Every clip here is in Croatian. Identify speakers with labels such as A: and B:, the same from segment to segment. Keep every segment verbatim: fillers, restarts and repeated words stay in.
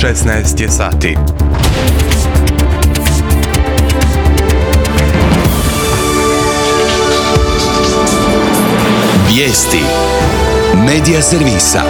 A: šesnaest je sati.
B: Vijesti Medija servisa.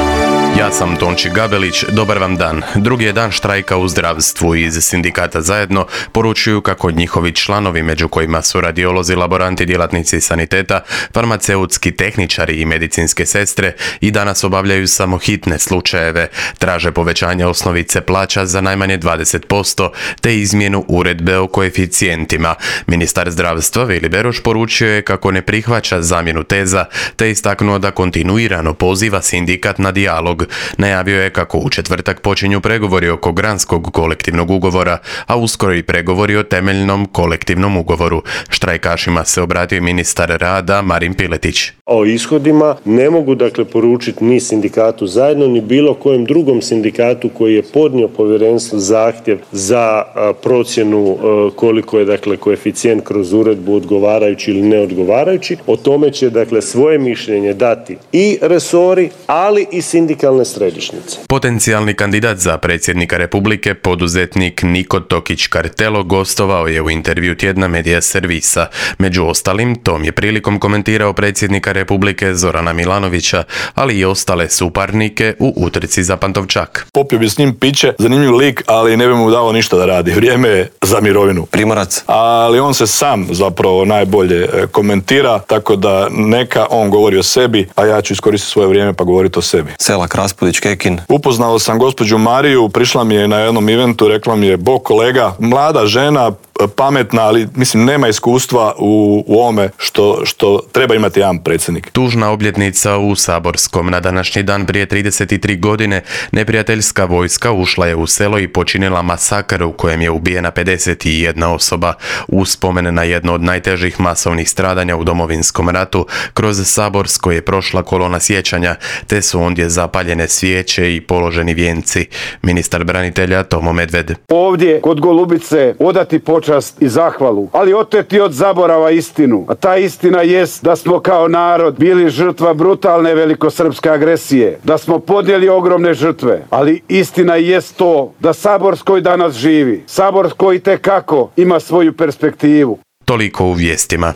A: Ja sam Tonči Gabelić, dobar vam dan. Drugi je dan štrajka u zdravstvu. Iz sindikata Zajedno poručuju kako njihovi članovi, među kojima su radiolozi, laboranti, djelatnici saniteta, farmaceutski tehničari i medicinske sestre, i danas obavljaju samo hitne slučajeve. Traže povećanje osnovice plaća za najmanje dvadeset posto te izmjenu uredbe o koeficijentima. Ministar zdravstva Vili Beroš poručio je kako ne prihvaća zamjenu teza te istaknuo da kontinuirano poziva sindikat na dijalog. Najavio je kako u četvrtak počinju pregovori oko granskog kolektivnog ugovora, a uskoro i pregovori o temeljnom kolektivnom ugovoru. Štrajkašima se obratio ministar rada Marin Piletić.
C: O ishodima ne mogu dakle poručiti ni sindikatu Zajedno, ni bilo kojem drugom sindikatu koji je podnio povjerenstvu zahtjev za a, procjenu a, koliko je dakle koeficijent kroz uredbu odgovarajući ili neodgovarajući. O tome će dakle svoje mišljenje dati i resori, ali i sindikalne središnjice.
A: Potencijalni kandidat za predsjednika Republike, poduzetnik Niko Tokić-Kartelo, gostovao je u intervju tjedna Medija servisa. Među ostalim, tom je prilikom komentirao predsjednika Republike Zorana Milanovića, ali i ostale suparnike u utrci za Pantovčak.
D: Popio bi s njim piće, zanimljiv lik, ali ne bi mu dao ništa da radi. Vrijeme je za mirovinu.
E: Primorac.
D: Ali on se sam zapravo najbolje komentira, tako da neka on govori o sebi, a ja ću iskoristiti svoje vrijeme pa govoriti o sebi.
E: Selak, Raspudić, Kekin.
D: Upoznao sam gospođu Mariju, prišla mi je na jednom eventu, rekla mi je: "Bog kolega, mlada žena, pametna, ali mislim nema iskustva u, u ovome što, što treba imati jedan predsjednik."
A: Tužna obljetnica u Saborskom. Na današnji dan prije trideset tri godine neprijateljska vojska ušla je u selo i počinila masakr u kojem je ubijena pedeset jedna osoba. Uspomen na jedno od najtežih masovnih stradanja u Domovinskom ratu, kroz Saborsko je prošla kolona sjećanja, te su ondje zapaljene svijeće i položeni vijenci. Ministar branitelja Tomo Medved.
F: Ovdje kod Golubice odati počast i zahvalu, ali oteti od zaborava istinu. A ta istina jest da smo kao narod bili žrtva brutalne velikosrpske agresije, da smo podnijeli ogromne žrtve, ali istina jest to da Saborsko i danas živi. Saborsko itekako ima svoju perspektivu.
A: Toliko u vijestima.